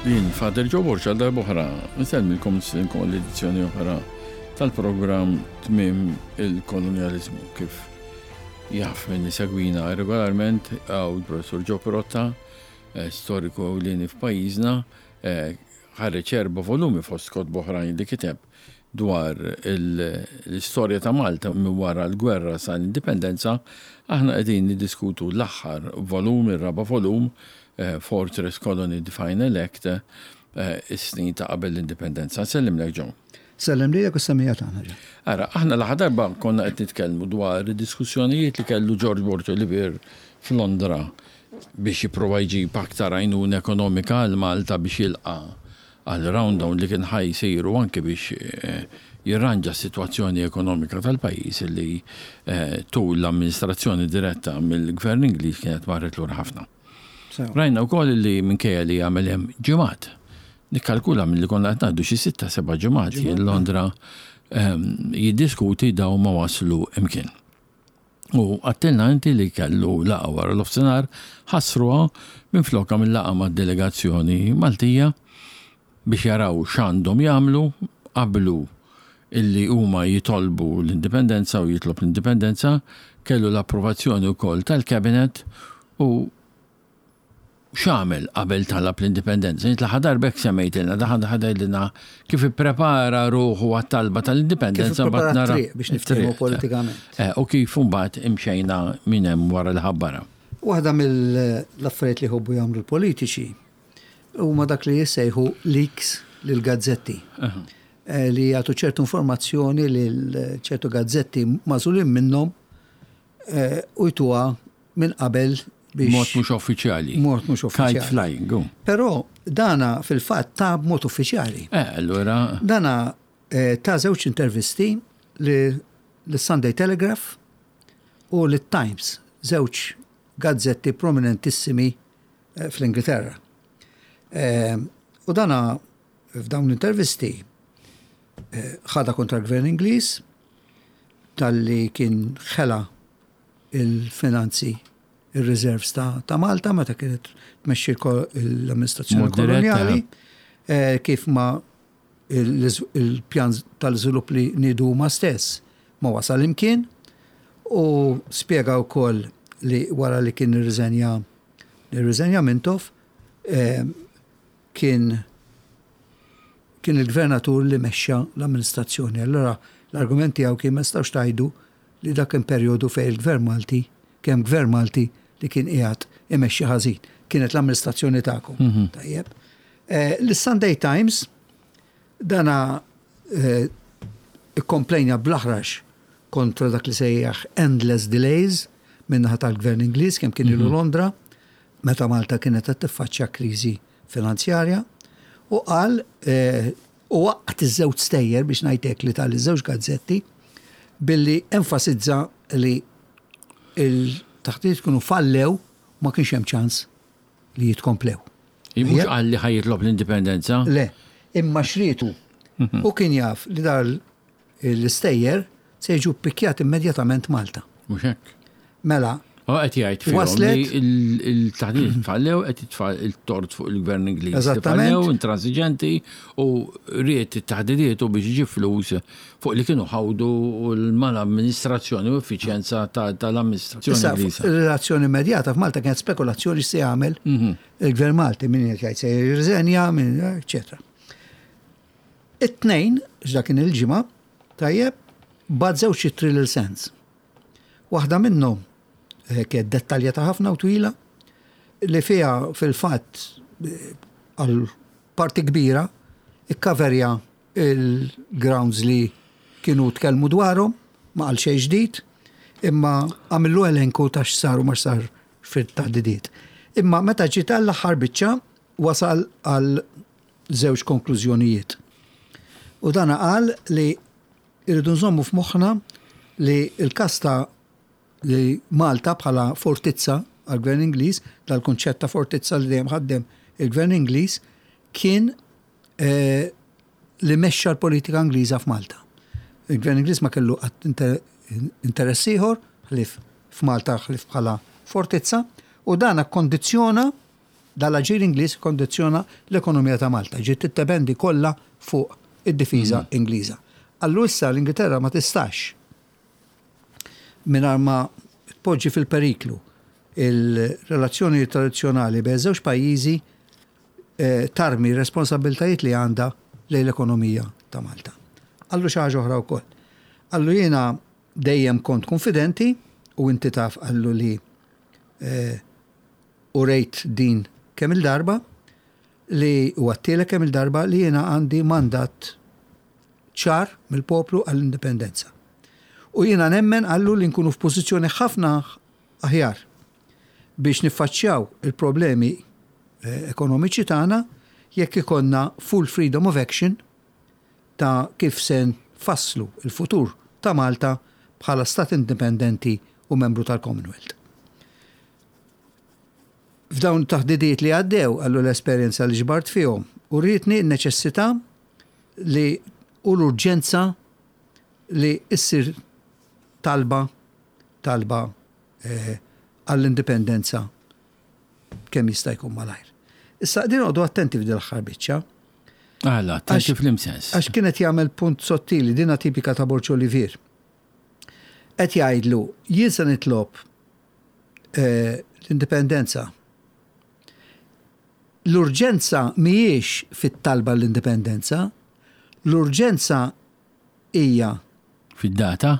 Jien Father Joe Borg għal darb'oħra nsellmilkom nistedinkom għal edizzjoni oħra tal-programm Tmiem il-Kolonjaliżmu kif jaf min isegwina regolarment għaw il-Professur Joe Pirotta, eh, storiku ewlieni f'pajjiżna, eh, ħareġ erba' volumi fost kotba oħrajn li kiteb dwar l-istorja ta' Malta minn wara l-gwerra sa l-indipendenza, aħna qegħdin niddiskutu l-aħħar volum, ir-raba' volum, Fortress Colony The Final Act, is-snin ta' qabel l-indipendenza. Nsellimlek Joe. Sellem lilek u s-semmiegħa tagħna Joe. Ara, aħna l-aħħar darba konna qed nitkellmu dwar id-diskussjonijiet li kellu George Borg Olivier f'Londra biex jipprova jġib aktar għajnuna ekonomika għal Malta biex jilqa' għal round-down li kien ħa jsir u anki biex jirranġa s-sitwazzjoni ekonomika tal-pajjiż li tul l-amministrazzjoni diretta mill-Gvern Ingliż kienet marret lura ħafna. Rajna wkoll li minkejja li għamel hemm ġimgħat, nikkalkula milli konna qed ngħaddu xi sitta seba' ġimgħat jien Londra jiddiskuti dawn ma waslu imkien. U għattilna inti li kellu laqgħa wara l-ofsinhar, ħassruha minflok għamil laqgħa mad-delegazzjoni Maltija biex jaraw x'għandhom jagħmlu, qablu illi huma jitolbu l-indipendenza u jitlob l-indipendenza, kellu l-approvazzjoni wkoll tal-Cabinet u X'għamel qabel talab l-indipendenza? Int l-aħħar darba hekk semmejtilna, daħal ħadilna kif ipprepara ruħu għat-talba tal-indipendenza mbagħad nara. Biex niftehmu politikament. Eh, u kif imbagħad imxejna minn hemm wara li ħabbara. Waħda mill-affarijiet li jħobbu jagħmlu l-politiċi huma dak li jissejħu leaks lill-gazzetti. Eh, li jagħtu ċertu informazzjoni lil ċertu gazzetti magħżulin minnhom eh, u jtuha minn qabel biex. Mod mhux uffiċjali. Mod mhux uffiċjali. Kite flying. Oh. Però dana fil-fatt ta' b'mod uffiċjali. Eh, allura. Dana eh, ta' żewġ intervisti li l-Sunday Telegraph u l-Times, żewġ gazzetti prominentissimi eh, fl-Ingilterra. Eh, u dana f'dawn l-intervisti ħada kontra l-gvern Ingliż talli kien ħela il-finanzi, ir-reserves ta', ta Malta meta kienet tmexxi l-amministrazzjoni koloniali, eh, kif ma il-pjan tal-żvilupp li nidu huma stess ma wasal imkien u spjega wkoll li wara li kien irriżenja irriżenja Mintoff eh, kien kien il-gvernatur li mexxa l-amministrazzjoni. Allura l-argument tiegħu kien ma nistgħux tgħidu li dak kien perjodu fejn il-Gvern Malti, kien hemm Gvern Malti li kien qiegħed imexxi ħażin. Kienet l-amministrazzjoni tagħkom. Mhm. Tajjeb. Eh, L-Sunday Times dana eh, ikkomplejna bl-aħrax kontra dak li sejjaħ endless delays minnaħa tal-Gvern Ingliż kemm kien ilu mhm. Londra meta Malta kienet qed tiffaċċja kriżi finanzjarja u qal eh, u waqqat iż-żewġ stejjer biex ngħid hekk li tal iż-żewġ gazzetti billi enfasizza li il-taħdiet kienu fallew ma kienx hemm ċans li jitkomplew. Mhux qal li ħa jitlob l-indipendenza? Le, imma xrietu. Mhm. U kien jaf li dar l-istejjer se jiġu ppikjat immedjatament Malta. Mhux hekk. Mela. U qed jgħid fihom li il-taħdid tfallew qed jitfa' il-tort fuq il-gvern Ingliż. Eżattament. Tfallew intransiġenti u ried it-taħdidiet u biex iġib flus fuq li kienu ħawdu l-mal-amministrazzjoni u effiċjenza tal-amministrazzjoni Ingliża. Ir-relazzjoni immedjata f'Malta kienet spekulazzjoni x'se jagħmel mhm. il-gvern Malti min qed jgħid se jirriżenja, min eċetera. It-tnejn, x'dak kien il-ġimgħa, tajjeb, bagħat żewġ ittri lil Sands. Waħda minnhom eh, kienet dettaljata ħafna u twila li fiha fil-fatt eh, għal parti kbira ikkaverja il-grounds li kienu tkellmu dwarhom, ma qal xejn ġdid, imma għamillu elenku ta' x'sar u ma x'sar fit-taħdidiet. Imma meta ġiet għall-aħħar biċċa wasal għal żewġ konklużjonijiet. U dana qal li irridu nżommu f'moħħna li l-każ ta' li Malta bħala fortizza għall-Gvern Ingliż, dal-kunċett ta' fortizza li dejjem ħaddem il-Gvern Ingliż, kien eh, li mexxa l-politika Ingliża f'Malta. Il-Gvern Ingliż ma kellu qatt interess ieħor ħlief f'Malta ħlief bħala fortizza u dan akkondizzjona. Dal-aġir Ingliż ikkondizzjona l-ekonomija ta' Malta, ġiet tiddependi kollha fuq id-difiża Ingliża. Qallu issa l-Ingilterra ma tistax mingħajr ma tpoġġi fil-periklu il-relazzjonijiet tradizzjonali bejn iż-żewġ pajjiżi tarmi r-responsabbiltajiet li għandha lejn l-ekonomija ta' Malta. Qallu xi ħaġa oħra wkoll. Qallu jiena dejjem kont kunfidenti u inti taf qallu li urejt din kemm-il darba li u għattilek kemm-il darba li jiena għandi mandat ċar mill-poplu għall-indipendenza. U jiena nemmen qallu li nkunu f'pożizzjoni ħafna aħjar biex niffaċċjaw il-problemi eh, ekonomiċi tagħna jekk ikollna full freedom of action ta' kif se nfasslu il-futur ta' Malta bħala stat indipendenti u membru tal-Commonwealth. F'dawn it-taħdidiet li għaddew, qallu l-esperjenza li ġbart fihom urietni n-neċessità li u l-urġenza li ssir talba talba eh, għall-indipendenza kemm jista' jkun malajr. Issa din għodu attenti f'din l-aħħar biċċa. Għala, attenti fl-imsens. Għax kienet jagħmel punt sottili, dina tipika ta' Borċ Olivier. Qed jgħidlu, jien se nitlob eh, l-indipendenza. L-urġenza mhijiex fit-talba l-indipendenza, l-urġenza hija fid-data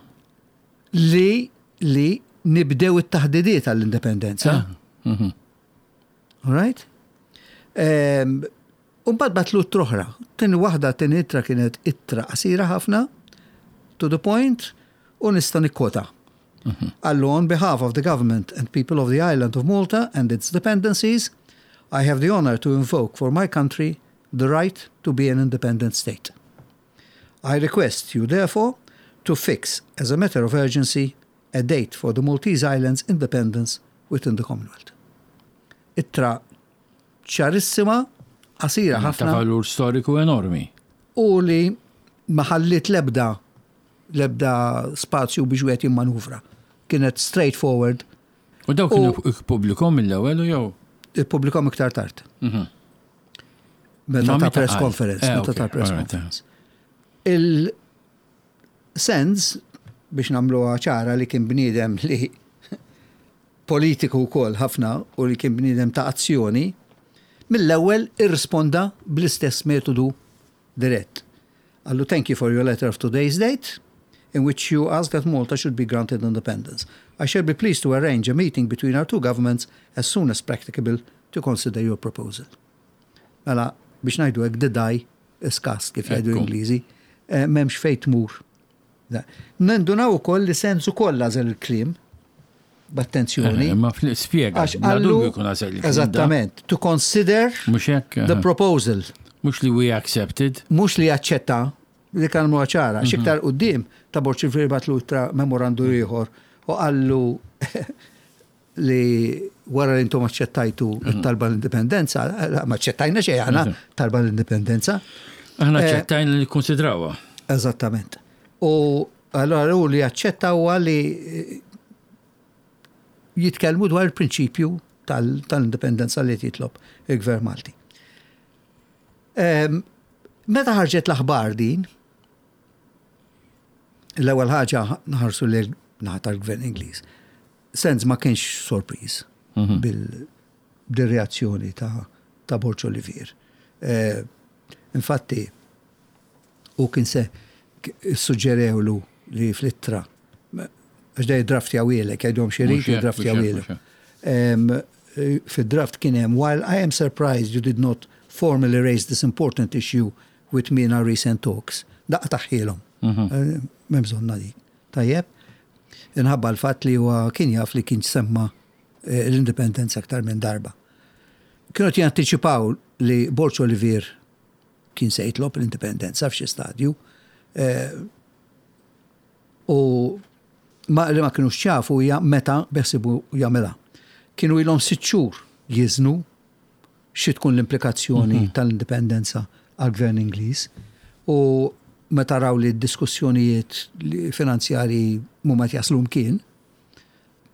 li li nibdew it-taħdidiet għall-indipendenza. Ah, mhm. All right? Ehm, u mbagħad batlu t-troħra. Tieni waħda tieni ittra kienet ittra qasira ħafna, to the point, u nista' nikkota. Qallu on behalf of the government and people of the island of Malta and its dependencies, I have the honor to invoke for my country the right to be an independent state. I request you therefore to fix as a matter of urgency a date for the Maltese Islands independence within the Commonwealth. Ittra ċarissima, qasira ħafna. Ta' valur storiku enormi. U li ma ħalliet l-ebda l-ebda spazju biex wieħed jimmanuvra. Kienet straightforward. U dawk kienu ippubblikhom mill-ewwel u jew? Ippubblikhom iktar tard. Mhm. Meta ta' press conference, eh, meta ta' press conference. Il-Sands, biex nagħmluha ċara li kien bniedem li politiku wkoll ħafna u li kien bniedem ta' azzjoni, mill-ewwel irrisponda bl-istess metodu dirett. Qallu thank you for your letter of today's date in which you ask that Malta should be granted independence. I shall be pleased to arrange a meeting between our two governments as soon as practicable to consider your proposal. Mela, biex ngħidu hekk, the die is cast, kif jgħidu l-Ingliżi, eh, m'hemmx fejn tmur. Nindunaw ukoll li Sands ukoll għażel il-kliem b'attenzjoni. Eh, ma spjega, għax qallu eżattament, to consider the proposal. Mhux li we accepted. Mhux li aċċetta li kan huwa ċara, mhm. xiktar quddiem ta' Borg Silveri batlu tra memorandu ieħor u qallu li wara li intom aċċettajtu mhm. talba l-indipendenza, ma aċċettajna xejn aħna mhm. talba l-indipendenza. Aħna eh, aċċettajna li konsidrawha. Eżattament. U allora u li aċċetta huwa li jitkellmu dwar il-prinċipju tal-indipendenza li jitlob il-Gvern Malti. Ehm, meta ħarġet l-aħbar din, l-ewwel ħaġa nħarsu li naħa tal-Gvern Ingliż. Sands ma kienx sorpriż mhm. bil-reazzjoni ta' ta' Borg Olivier. Eh, infatti, u kien se suġġerewlu li fl-ittra, għax dej draft jawilek, jgħidhom xi jrid draft jawilek. Fid-draft kien hemm, while I am surprised you did not formally raise this important issue with me in our recent talks. Daqqa taħħilhom. Mhm. Eh, m'hemm bżonna dik. Tajjeb, inħabba l-fatt li huwa kien jaf li kien semma eh, l-indipendenza aktar minn darba. Kienu jantiċipaw li Borċ Olivier kien se jitlob l-indipendenza f'xi stadju. Eh, u ma li ma kinux ċafu hija meta beħsibu jagħmilha. Kienu ilhom sitt xhur jiżnu xi tkun l-implikazzjoni mhm. tal-indipendenza għall-gvern Ingliż u meta raw li d-diskussjonijiet finanzjarji mhuma jaslu mkien,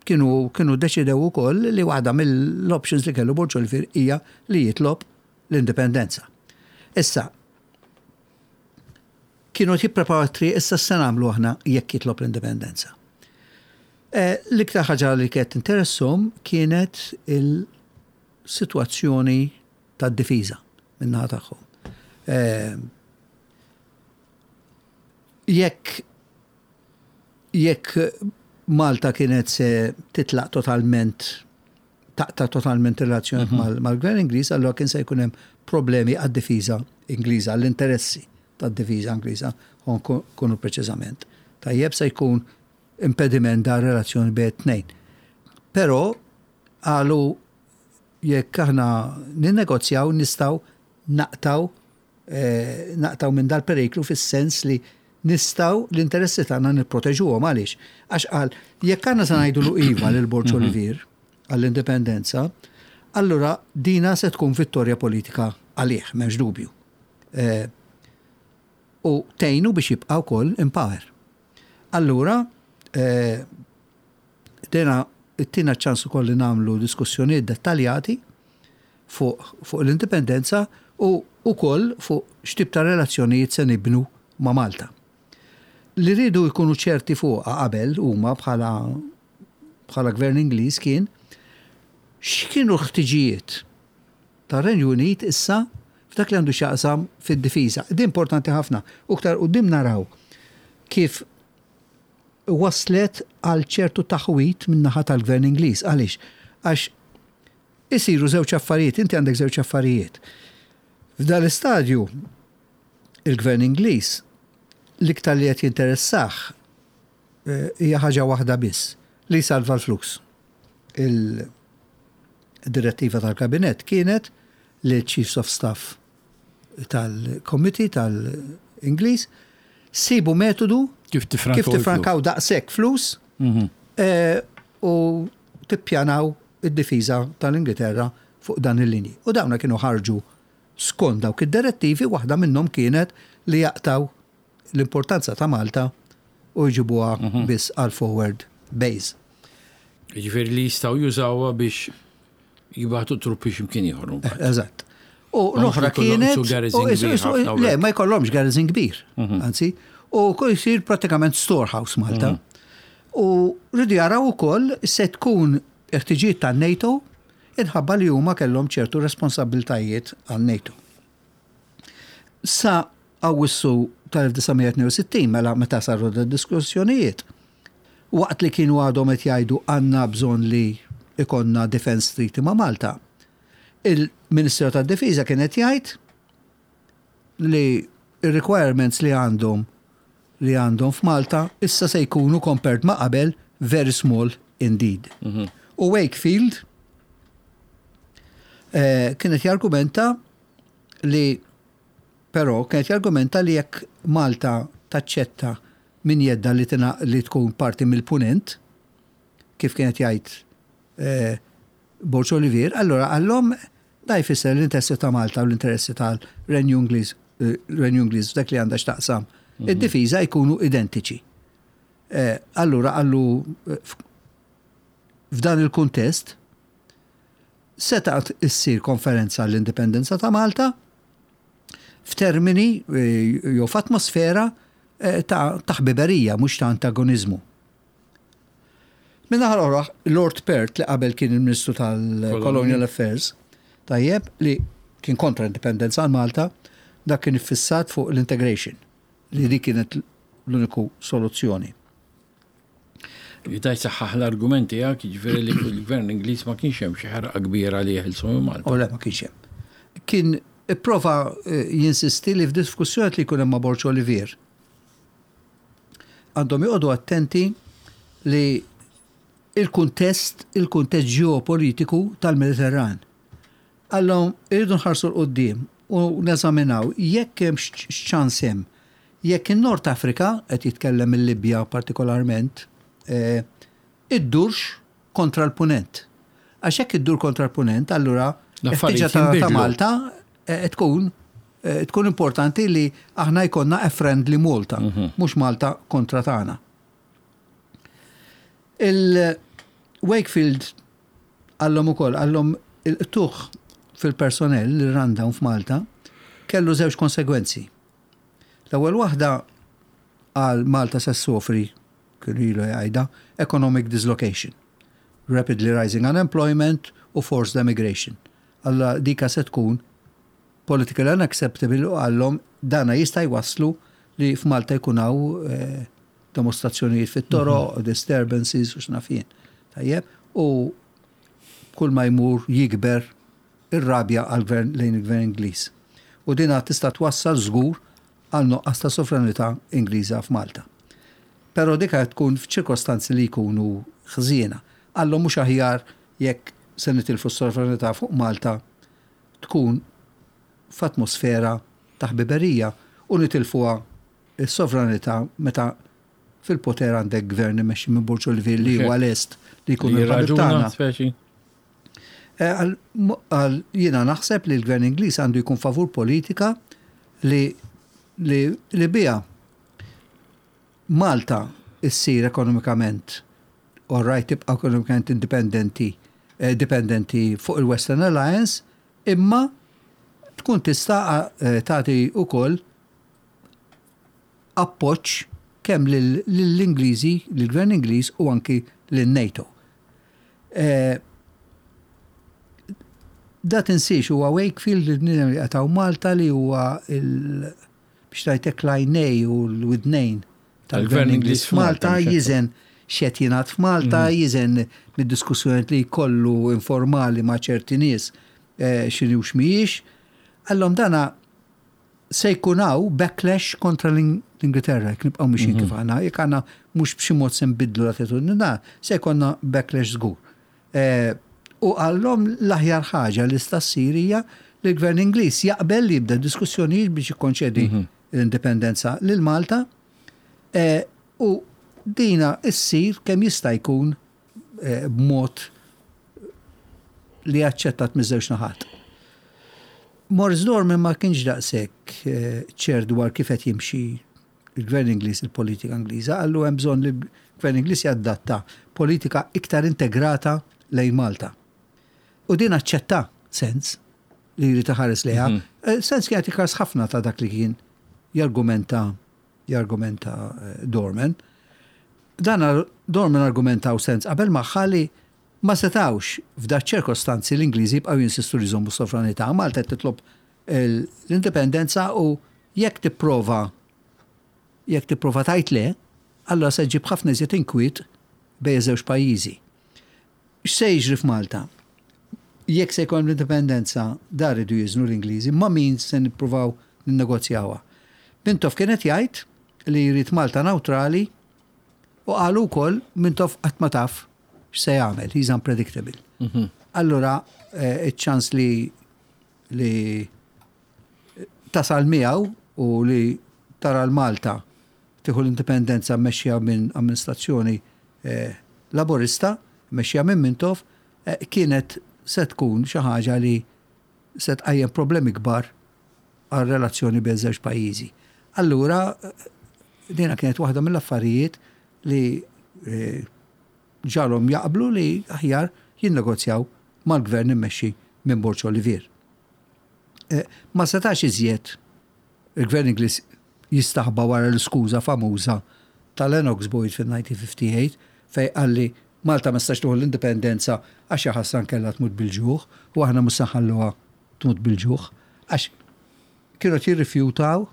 Kienu kienu ddeċidew ukoll li waħda mill-options li kellu Borg Olivier hija li jitlob l-indipendenza. Issa, kienu qed jippreparaw t-triq issa x'se nagħmlu aħna jekk jitlob l-indipendenza. L-iktar ħaġa li kienet tinteresshom kienet il-sitwazzjoni tad-difiża min-naħa tagħhom. Jekk jekk Malta kienet se titlaq totalment taqta' totalment ir-relazzjonijiet mhm. mal-gvern Ingliż, allura kien se jkun hemm problemi għad-difiża Ingliża, għall-interessi tad-difiża Ingliża, kunu preċiżament. Tajjeb se jkun impediment da relazzjoni bejn tnejn. Però qalu jekk aħna ninnegozjaw nistgħu naqtaw eh, naqtaw minn dal-periklu fis-sens li nistgħu l-interessi tagħna nipproteġuhom għaliex. Għax qal jekk aħna se ngħidulu iva lil Borġ mhm. Olivier għall-indipendenza, allura dina se tkun vittorja politika għalih, m'hemmx dubju. Eh, u tgħinu biex jibqa' wkoll in power. Allura, eh, dina tina ċans ukoll li nagħmlu diskussjonijiet dettaljati fuq fuq l-indipendenza u wkoll fuq x'tip ta' relazzjonijiet se nibnu ma' Malta. Li riedu jkunu ċerti fuqha qabel huma bħala bħala Gvern Ingliż kien x'kienu l-ħtiġijiet tar-Renju Unit issa f'dak li għandu x'jaqsam fid-difiża. Din importanti ħafna u iktar quddiem naraw kif wasslet għal ċertu taħwid min-naħa tal-Gvern Ingliż. Għaliex? Għax isiru żewġ affarijiet, inti għandek żewġ affarijiet. F'dan l-istadju, il-Gvern Ingliż l-iktar li qed jinteressah eh, hija ħaġa waħda biss, li jsalva l-flus. Il-direttiva tal-Kabinett kienet li Chiefs of Staff tal-Committee tal-Ingliż sibu metodu kif tifrankaw daqshekk flus mhm. eh, u tippjanaw id-difiża tal-Ingilterra fuq dan il-linji. U dawna kienu ħarġu skont dawk id-direttivi, waħda minnhom kienet li jaqtaw l-importanza ta' Malta u jġibuha mhm. biss għal forward base. Jiġifieri li jistgħu jużawha biex Jibgħatu truppi x'imkien ieħor. Eh, eżatt. U l-oħra kienet. Le, ma jkollhomx garrison kbir. Mhm. Anzi, u kol jsir pratikament storehouse Malta. Mhm. U rridu jaraw ukoll se tkun ħtiġijiet tan-NATO inħabba li huma kellhom ċertu responsabiltajiet għal NATO. Sa Awwissu tal-1962 mela meta saru d-diskussjonijiet, waqt li kienu għadhom qed jgħidu għandna bżonn li ikollna defence treaty ma' Malta, il-Ministeru tad-Difiża kien qed jgħid li r-requirements li għandhom li għandhom f'Malta issa se jkunu compared ma' qabel very small indeed. Mhm. U Wakefield eh, kienet jargumenta li però kienet jargumenta li jekk Malta taċċetta minn jeddha li li tkun parti mill-Punent, kif kien qed jgħid eh, Borg Olivier, allura qallhom da jfisser l-interessi ta' Malta u l-interessi tal-Renju Ingliż eh, Renju Ingliż f'dak li għandha x'taqsam mhm. id-difiża jkunu identiċi. Eh, allura qallu f'dan il-kuntest Setgħet issir konferenza għall-indipendenza ta' Malta f'termini jew f'atmosfera ta' ħbiberija mhux ta' antagoniżmu. Min-naħa l-oħra, Lord Perth li qabel kien il-Ministru tal-Colonial Affairs, tajjeb, li kien kontra l-indipendenza għal Malta, dak kien iffissat fuq l-integration, li dik kienet l-uniku soluzzjoni. Jista' jsaħħaħ l-argument tiegħek, jiġifieri li fil-Gvern Ingliż ma kienx hemm xi ħerqa kbira li jeħilsu minn Malta. O le, ma kienx hemm. Kien ipprova eh, jinsisti li f'diskussjoni li jkun hemm ma' Borg Olivier għandhom joqogħdu attenti li il-kuntest, il-kuntest ġeopolitiku tal-Mediterran. Qallhom irridu nħarsu 'l quddiem u neżaminaw jekk hemmx x'ċans hemm jekk in-Nord Afrika, qed jitkellem il-Libja partikolarment, iddurx kontra l-Punent. Għax jekk iddur kontra l-Punent, allura l-ħtieġa ta' Malta tkun tkun importanti li aħna jkollna a friendly Malta, mhux Malta kontra tagħna. Wakefield qallhom ukoll, qallhom il-qtugħ fil-personnel, il-rundown f'Malta, kellu żewġ konsegwenzi. L-ewwel waħda qal Malta se ssofri, kienu ilu jgħidha, economic dislocation, rapidly rising unemployment u forced emigration. Alla dika se tkun politically unacceptable u qallhom dana jista' jwasslu li f'Malta jkun hawn eh, demostrazzjonijiet fit-toroq, disturbances u x'naf jien. Tajjeb, u kull ma jmur jikber ir-rabja għall-gvern lejn il-gvern Ingliż. U dina tista' twassal żgur għal nuqqas ta' sovranità Ingliża f'Malta. Però dika tkun f'ċirkostanzi li jkunu ħżiena. Qallhom mhux aħjar jekk se nitilfu s-sovranità fuq Malta tkun f'atmosfera ta' ħbiberija u nitilfuha s-sovranità meta fil-poter għandek gvern immexxi minn Borg Olivier li huwa lest li jkun il-ħabib tagħna. Eh, jiena naħseb li l-gvern Ingliż għandu jkun favur politika li li biha Malta issir ekonomikament all right tibqa' ekonomikament indipendenti eh, dipendenti fuq il-Western Alliance imma tkun tista' eh, tagħti wkoll appoġġ kemm lill-Ingliżi, lill-Gvern Ingliż u anki lin-NATO. Eh, da tinsiex huwa Wakefield il-bniedem li qataw Malta li huwa il biex ngħidlek l-għajnej u l-widnejn tal-Gvern Ingliż f'Malta jiżen x'qed jingħad f'Malta, mhm. jiżen mid-diskussjonijiet li jkollu informali ma' ċerti nies eh, x'inhi u x'mhijiex. Allhom dana se jkun hawn backlash kontra l-Ingilterra, jekk nibqgħu mixin kif mhm. aħna, jekk aħna mhux b'xi mod se nbiddlu l-attitudni se jkollna backlash żgur. Eh, u qallhom l-aħjar ħaġa li sta ssir hija li l-Gvern Ingliż jaqbel li jibda diskussjonijiet biex jikkonċedi mhm. l-indipendenza lil Malta eh, u dina issir kemm jista' jkun eh, b'mod li aċċettat miż-żewġ naħat. Morris Dorman ma kienx daqshekk ċert dwar kif qed jimxi il-Gvern Ingliż il-politika Ingliża, qallu hemm bżonn li l-Gvern Ingliż jadatta politika iktar integrata lejn Malta. U din aċċetta Sens li jrid iħares lejha. Mhm. Eh, Sens kien jagħti ħafna ta' dak li kien jargumenta jargumenta eh, Dorman. Dan Dorman argumenta u Sens qabel magħha li ma setawx f'da ċirkostanzi l-Ingliżi jibqgħu jinsistu li jżommu sovranità. Malta titlob l-indipendenza u jekk tipprova jekk tipprova tgħid le, allura se ġġib ħafna iżjed inkwiet bejn iż-żewġ pajjiżi. X'se jiġri f'Malta? Jekk se jkun l-indipendenza, dar iridu jiżnu l-Ingliżi, ma' min se nippruvaw ninnegozjawha. Mintoff kien qed jgħid li jrid Malta nawtrali u qalu wkoll Mintoff qatt ma taf x'se jagħmel, he's unpredictable. Mhm. Allura eh, iċ-ċans li li tasal miegħu u li tara l-Malta tieħu l-indipendenza mmexxija minn amministrazzjoni eh, laburista, mmexxija minn Mintoff, eh, kienet se tkun xi ħaġa li se tqajjem problemi kbar għal relazzjoni bejn żewġ pajjiżi. Allura, eh, dina kienet waħda mill-affarijiet li ġagħalhom jaqblu li aħjar jinnegozjaw mal-gvern immexxi minn Borg Olivier. Eh, ma setax iżjed il-gvern Ingliż jistaħba wara l-iskuża famuża ta' Lennox Boyd fil-1958 fejn qal li Malta ma setax tieħu l-indipendenza għax jaħasra nkella tmut bil-ġuħ u aħna mhux se nħalluha tmut bil-ġuħ għax kienu qed jirrifjutaw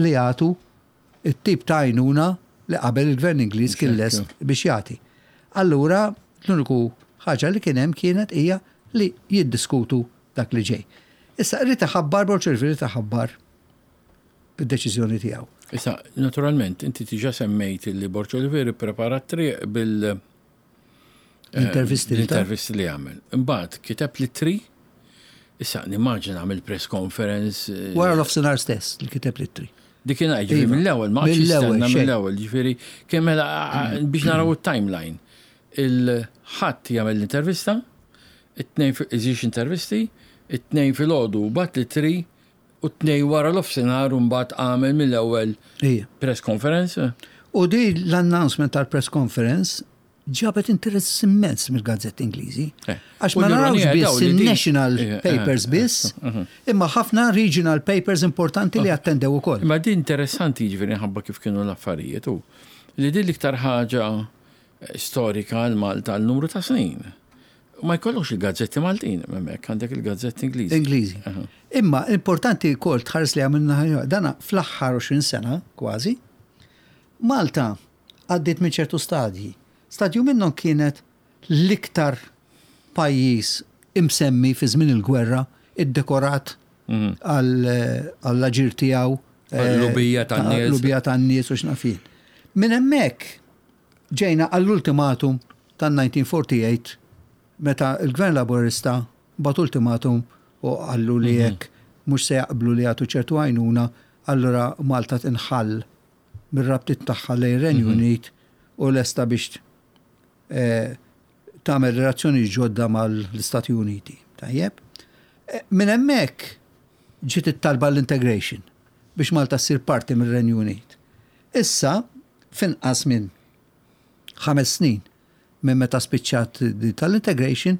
li jagħtu it-tip ta' għajnuna li qabel il-Gvern Ingliż kien lest biex jagħti. Allura l-uniku ħaġa li kien hemm kienet hija li jiddiskutu dak li ġej. Issa irid iħabbar Borg Olivier irid iħabbar id-deċiżjoni tiegħu. Issa, naturalment, inti diġà semmejt li Borg Olivier ipprepara t-triq bil- L-intervisti li L-intervisti li għamel. Imbagħad kiteb l-ittri, issa nimmaġina għamel press conference. Eh, Wara l-offsinar stess li kiteb l-ittri. Dik kien ġifieri iva. mill-ewwel, ma mill-ewwel, mill-ewwel, ġifieri kemm mela biex naraw it-timeline. Il-ħadd jagħmel l-intervista, it-tnejn iżix intervisti, it-tnejn filgħodu bat l-ittri u t-tnejn wara l-offsinar u mbagħad għamel mill-ewwel press conference. U di l-announcement tal-press conference. ġabet interess immens mill-gazzetti Ingliżi. Eh. Għax U ma l-ironija narawx biss daw li din- il-national Eh, eh, papers eh, biss, imma ħafna regional papers importanti li attendew ukoll. Imma din interessanti jiġifieri ħabba kif kienu l-affarijiet u li din l-iktar ħaġa eh, storika għal Malta għal numru ta' snin. U Ma jkollokx il-gazzetti Maltin, hemmhekk għandek il-gazzetti Ingliżi. Ingliżi. Imma importanti wkoll tħares li għamilna ħaġa, dana fl-aħħar 20 sena kważi, Malta għaddiet minn ċertu stadji. Stadju minnhom kienet l-iktar pajjiż imsemmi fi żmien il-gwerra iddekorat għall-aġir tiegħu eh, Għall-lubija tan-nies. Lubija tan-nies u x'nafin. Minn hemmhekk ġejna għall-ultimatum tan-1948 meta il-Gvern Laburista bat ultimatum u qallu li jekk mhux se jaqblu li jagħtu ċertu għajnuna, allura Malta tinħall mir-rabtiet tagħha lejn Renju Unit u lesta biex eh, tagħmel relazzjoni ġodda mal-Istati Uniti. Tajjeb? Eh, Minn hemmhekk ġiet it-talba l-integration biex Malta ssir parti mir-Renju Unit. Issa, finqas minn ħames snin minn meta spiċċat di tal-integration,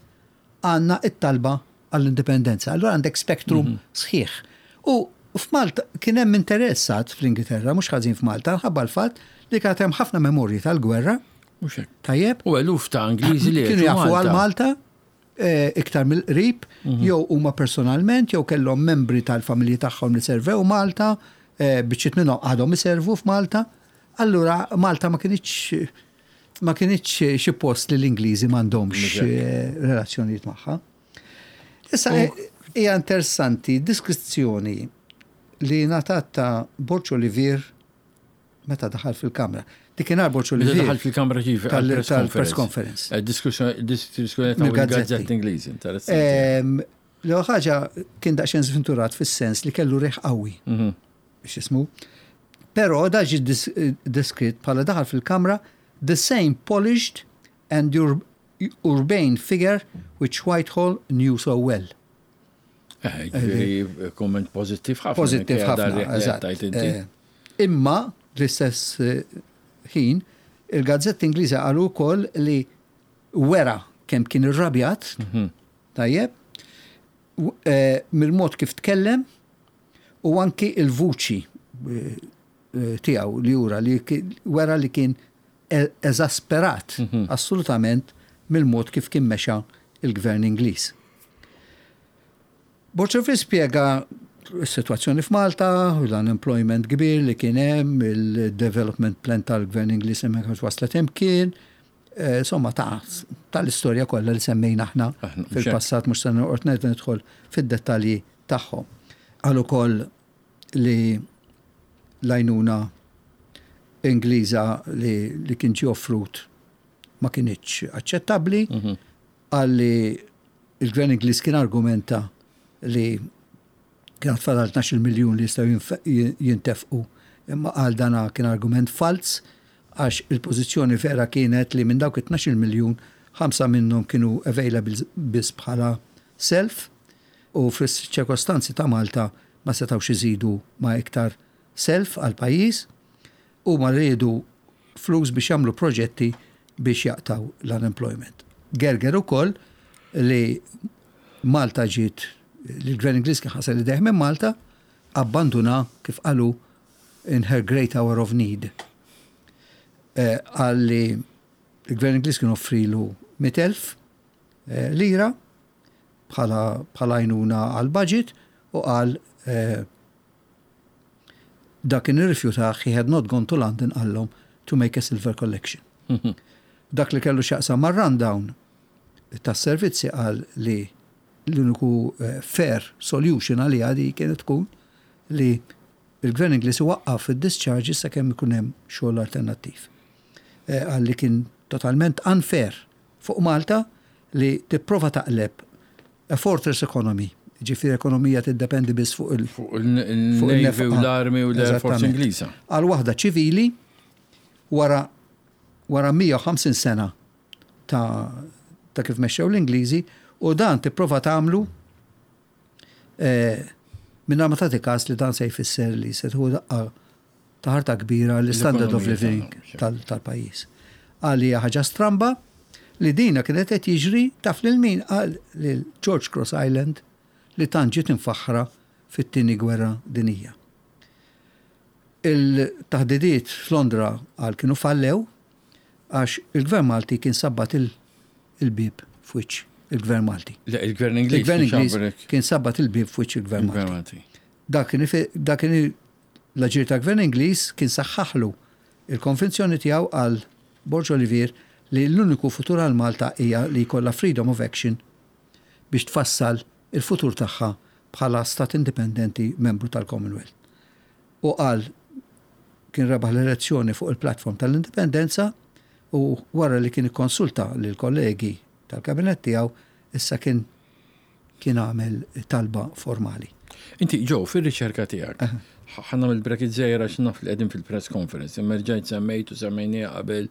għandna it-talba għall-indipendenza. Allura għandek spektrum sħiħ. U f'Malta kien hemm interessat fl-Ingilterra, mhux ħażin f'Malta, ħabba l-fatt li kien hemm ħafna memorji tal-gwerra, Mhux hekk. tajjeb, U eluf ta' Ingliżi li kienu għexu jafu għal Malta eh, iktar mill-qrib, jew huma personalment, jew kellhom membri tal-familji tagħhom li servew Malta, eh, biċċiet minnhom għadhom iservu f'Malta. Allura Malta ma kinitx ma kinitx xi post li l-Ingliżi m'għandhomx eh, relazzjonijiet magħha. Issa eh, hija interessanti diskrizzjoni li ngħatat ta' Borg Olivier meta daħal fil-Kamra. Dikinhar Borg Meta Olivier daħal fil-kamra kif tal- għall-press tal-press conference. Eh, Diskussjoni diskussjoni ta' Mill-gazzetti. il-gazzetti Ingliżi, interessanti. Ehm, L-ewwel ħaġa kien daqsxejn żventurat fis-sens li kellu riħ qawwi. X'ismu. Però da ġi dis- deskritt bħala daħal fil-kamra the same polished and ur urbane figure which Whitehall knew so well. Eh, Ġifieri komment pożittiv ħafna. Pożittiv minkejja dan ħafna, li qed eżatt. tgħid inti. Eh, Imma l-istess eh, ħin il-gazzetti Ingliża qalu wkoll li wera kemm kien irrabjat, tajjeb, w- eh, mill-mod kif tkellem u anki il-vuċi eh, eh, tiegħu li jura li ki- wera li kien e- eżasperat assolutament mill-mod kif kien mexa il-gvern Ingliż. Borċovi spiega s-situazzjoni f'Malta, l-unemployment kbir li kien hemm, il-development plan tal-gvern Ingliż hemmhekk għax waslet imkien, eh, insomma ta' tal-istorja kollha li semmejna aħna Aħna, mhux fil-passat mhux se noqgħod nerġa' nidħol fid-dettalji tagħhom. Qal ukoll li l-għajnuna Ingliża li, li kien ġie offrut ma kinitx aċċettabbli, qal li il-gvern Ingliż kien argumenta li kien fadal 12 miljun li jistgħu jinf- jintefqu. Imma qal dana kien argument falz għax il-pożizzjoni vera kienet li minn dawk it-12 miljun ħamsa minnhom kienu available biss bħala self u fis-ċirkostanzi ta' Malta ma setgħux iżidu ma' iktar self għal pajjiż u ma rridu flus biex jagħmlu proġetti biex jaqtaw l-unemployment. Gerger ukoll li Malta ġiet li l-Gvern Ingliż kien ħasel idejh minn Malta, abbanduna kif qalu in her great hour of need. Eh, Qal li l-Gvern Ingliż kien offrilu 100,000 eh, lira bħala bħala għajnuna għal budget u qal eh, dak kien irrifjutah he had not gone to London qallhom to make a silver collection. Dak li kellu x'jaqsam mar-rundown tas-servizzi qal li l-uniku eh, fair solution għaliha di kienet tkun li il-gvern Ingliż waqqaf id-discharges sakemm ikun hemm xogħol alternattiv. Eh, Qal li kien totalment unfair fuq Malta li tipprova taqleb a fortress economy, ġifieri ekonomija tiddependi biss fuq il- Fuq il-Navy u il-nefqa. l-Army u l-Air Force Eżattament. Ingliża. Għal waħda ċivili wara wara 150 sena ta', ta kif mexxew l-Ingliżi u dan tipprova tagħmlu eh, mingħajr ma tagħti każ li dan se jfisser li se tieħu daqqa ta' ħarta kbira l-standard of L-ekonomija living tagħna, tal- tal-pajjiż. Qal li hija ħaġa stramba li dina kienet qed jiġri taf lil min qal lil George Cross Island li tant ġiet imfaħħra fit-Tieni Gwerra Dinjija. Il-taħdidiet f'Londra qal kienu fallew għax il-Gvern Malti kien sabbat il-bieb f'wiċċ il-Gvern Malti. Le, il-Gvern Ingliż. Il-Gvern Ingliż kien sabbat il-bieb f'wiċċ il-Gvern Malti. Dak kien l-aġir tal-Gvern Ingliż kien saħħaħlu il-konvinzjoni tiegħu qal Borg Olivier li l-uniku futur għal Malta hija li jkollha freedom of action biex tfassal il-futur tagħha bħala stat indipendenti membru tal-Commonwealth. U qal kien rebaħ l-elezzjoni fuq il-platform tal-indipendenza u wara li kien ikkonsulta lill-kollegi tal-kabinett tiegħu issa kien kien għamel talba formali. Inti, Joe, fir-riċerka tiegħek, ħa nagħmel bracket żgħir għax naf li qegħdin fil-press conference, imma rġajt semmejt u semmejniha qabel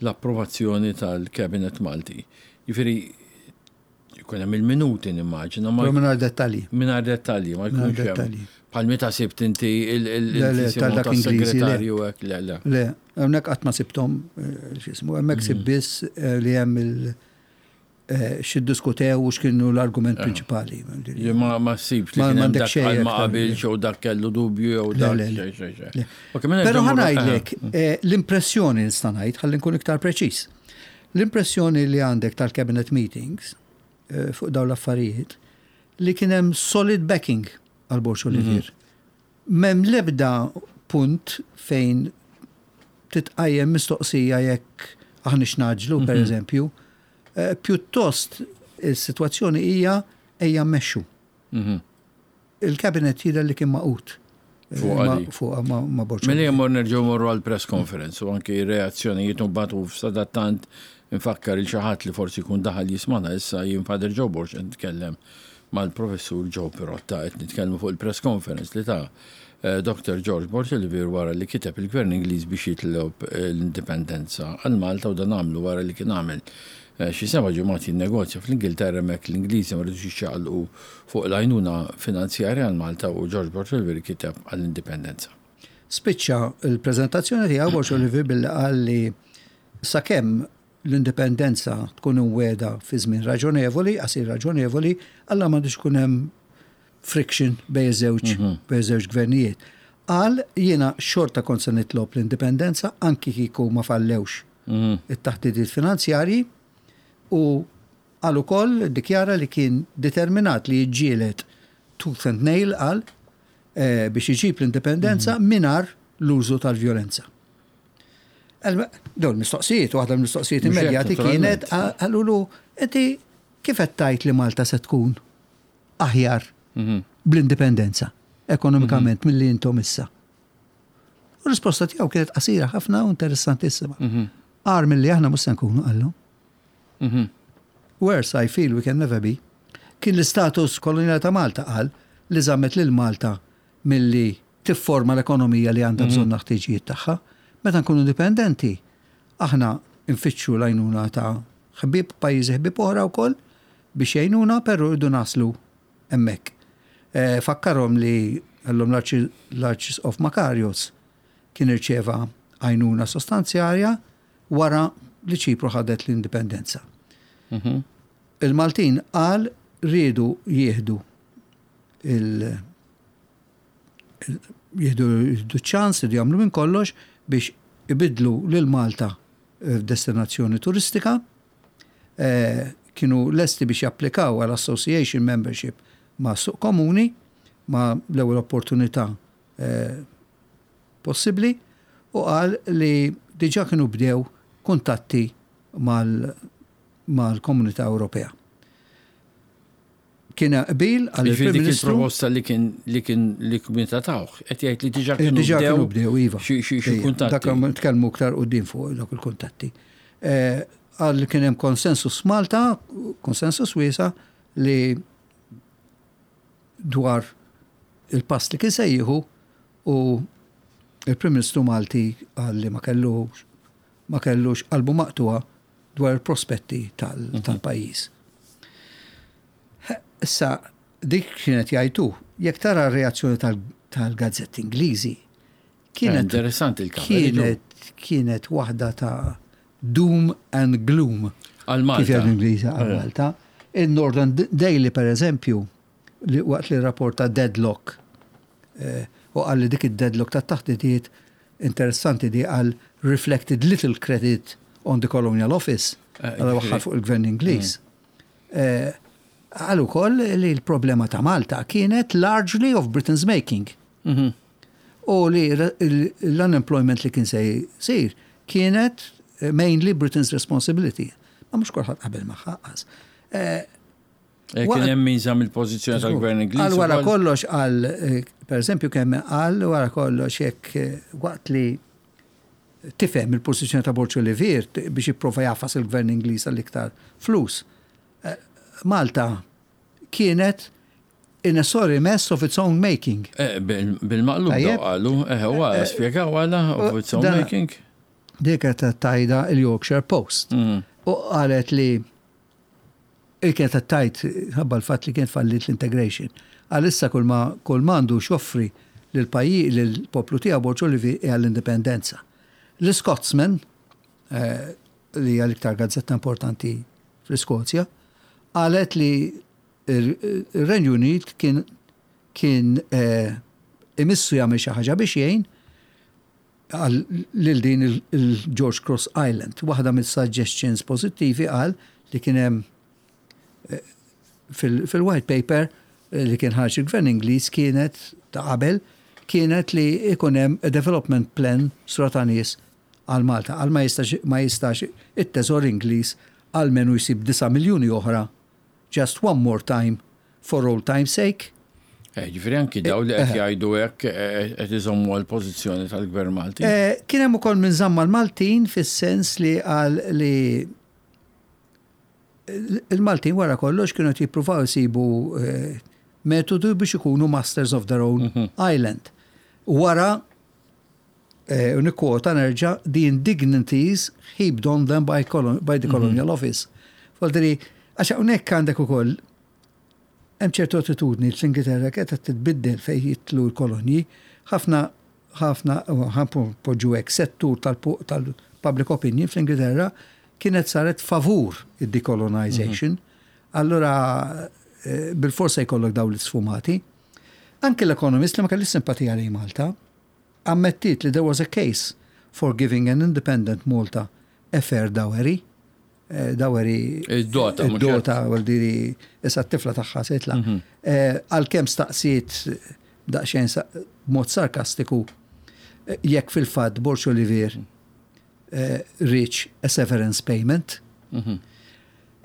l-approvazzjoni tal-Cabinet Malti. Jiġifieri jkun hemm il-minuti nimmaġina. Ma mingħajr dettalji. Mingħajr dettalji, ma jkunx hemm. Bħal meta sibt inti il-segretarju hekk, le, le. Le, hawnhekk qatt ma sibthom eh, x'ismu, hemmhekk sib biss eh, li hemm il- eh, x'iddiskutew u x'kienu l-argument prinċipali. Li ma ma ssibx li kien hemm dak qal ma qabilx jew dak kellu dubju jew dak xejn xejn xejn. Mela Però ħa ngħidlek l-impressjoni nista' ngħid ħalli nkun iktar preċiż. L-impressjoni li għandek tal-cabinet meetings eh, fuq dawn l-affarijiet li kien hemm solid backing għal Borg Olivier. M'hemm l-ebda punt fejn titqajjem mistoqsija jekk aħniex ngħaġġlu, per eżempju. Eh, pjuttost is-sitwazzjoni hija ejja mmexxu. Il-cabinet jidher li kien magħqud. Fuq ma' Borg. Mela jemmur nerġgħu morru għal press conference u anki reazzjonijiet u mbagħad u sadattant infakkar il xi ħadd li forsi jkun daħal jismana issa jien Father Joe Borg qed nitkellem mal-Professur Joe Pirotta qed nitkellmu fuq il-press conference li ta Dr. George Borg Olivier wara li kiteb il-Gvern Ingliż biex jitlob l-indipendenza għal Malta u dan għamlu wara li kien għamel xi seba' ġimgħat jinnegozja fl-Ingilterra hemmhekk l-Ingliżi ma ridux jiċċaqalqu fuq l-għajnuna finanzjarja għal Malta u George Borg Olivier kiteb għall-indipendenza. Spiċċa l-preżentazzjoni tiegħu Borg Olivier billi qal li sakemm l-indipendenza tkun imwiegħda fi żmien raġonevoli, qasir raġonevoli, alla m'għandux ikun hemm friction bejn iż-żewġ bejn iż-żewġ gvernijiet. Qal jiena xorta kont se nitlob l-indipendenza anki kieku ma fallewx it-taħdidiet finanzjarji u qal ukoll iddikjara li kien determinat li jiġġieled tooth and nail qal biex iġib l-indipendenza mingħajr l-użu tal-vjolenza. Dawn mistoqsijiet, waħda mill-mistoqsijiet immedjati kienet qalulu inti kif qed tgħid li Malta se tkun aħjar mhm. bl-indipendenza ekonomikament mhm. milli intom issa? U risposta tiegħu kienet qasira ħafna u interessantissima. Mhm. Agħar milli aħna mhux se nkunu qallhom. Worse I feel we can never be. Kien l-istatus koloniali ta' Malta qal li żammet lil Malta milli tifforma l-ekonomija li għandha bżonn għall-ħtiġijiet tagħha. Meta nkunu indipendenti, aħna nfittxu l-għajnuna ta' ħbieb, pajjiżi ħbieb oħra wkoll biex jgħinuna, però rridu naslu hemmhekk. Fakkarhom li għallhom l-Arċisqof Makarios kien irċieva għajnuna sostanzjarja wara li Ċipru ħadet l-indipendenza. Il-Maltin qal riedu jieħdu il jieħdu ċ-ċans, iridu jagħmlu minn kollox biex ibiddlu lil Malta f'destinazzjoni turistika. Eh, kienu lesti biex japplikaw għal association membership ma' suq komuni ma' l-ewwel opportunità eh, possibbli u qal li diġà kienu bdew kuntatti mal-Komunità Ewropea. Kien hemm qbil qal il-Prim Ministru. Il-proposta li kien li kien li kien tawh, qed jgħid li diġà kienu diġà kienu bdew iva. Xi kuntatti. Dak nitkellmu iktar quddiem fuq dawk il-kuntatti. Eh, qal li kien hemm konsensus Malta, konsensus wiesa li dwar il-pass li kien se jieħu u il-Prim Ministru Malti qal li ma kellux ma kellux qalbu maqtugħa dwar il-prospetti tal-pajjiż. Issa, dik kienet jgħid hu. Jekk tara r-reazzjoni tal-gazzetti Ingliżi, kienet. Interessanti il Kienet, kienet waħda ta' doom and gloom. Għal Malta. Kif jgħidu l-Ingliżi għal Malta. Il-Northern Daily, per eżempju, li waqt li rapporta deadlock eh, u qal li dik id-deadlock ta' taħdidiet interessanti di għal reflected little credit on the colonial office eh, għal waħħal fuq il-gvern Ingliż. Eh, qal ukoll li l-problema ta' Malta kienet largely of Britain's making. U li l-unemployment li kien se jsir kienet eh, mainly Britain's responsibility. Ma mhux kulħadd qabel magħha qas. Eh, eh, kien hemm min żamm il-pożizzjoni tal-Gvern Ingliż. Għal wara kollox għal pereżempju kemm qal wara kollox jekk waqt li tifhem il-pożizzjoni ta' Borg Olivier biex jipprova jafas il-Gvern Ingliż għal iktar flus. Malta kienet in a sorry mess of its own making. Eh, bil-maqlub qalu, eh, huwa eh, spjegaw għala of its own making. Dik qed tajda il-Yorkshire Post. U qalet li il kienet tajt ħabba l-fatt li kien fallit l-integration. Għalissa kull ma kull mandu xoffri lil pajjiż lill-poplu tiegħu Borġ Olivi hija l-indipendenza. L-Scotsman, eh, li hija l-iktar gazzetta importanti fl-Iskozja, qalet li ir-Renju Unit kien kien eh, imissu jagħmel xi ħaġa biex jgħin lil din il-George Cross Island. Waħda mill-suggestions pożittivi qal li kien hemm eh, fil-white paper eh, li kien ħarġ il-Gvern Ingliż kienet ta' qabel kienet li ikun hemm a development plan sura ta' nies għal Malta. Għal ma jistax ma jistax it-teżor Ingliż għalmenu jsib 9 miljuni oħra just one more time for old time's sake. Eh, ġifieri anki daw li qed jgħidu hekk eh, qed iżommu għall-pożizzjoni tal-Gvern Malti. Eh, kien hemm ukoll minn żamma l-Maltin fis-sens li qal li il-Maltin wara kollox kienu qed jippruvaw isibu metodu biex ikunu masters of their own mhm. island. Wara u nikkwota nerġa' the indignities heaped on them by, by the mhm. colonial office. Voldiri, għax hawnhekk għandek ukoll hemm ċertu attitudni fl-Ingilterra qed titbiddel fejn jitlu l-kolonji, ħafna ħafna poġġu hekk settur tal-public opinion fl-Ingilterra kienet saret favur id-decolonization. Mhm. Allura eh, bil-forsa jkollok dawn l-isfumati. Anke l-Economist li ma kellix simpatija lejn Malta, ammettiet li there was a case for giving an independent Malta a fair dowry. Eh, dowry. Id-dota. Id-dota, għal issa t-tifla tagħha se jitla'. Mhm. Eh, għalkemm staqsiet daqsxejn b'mod sarkastiku eh, jekk fil-fatt Borg Olivier reach a severance payment. Mhm.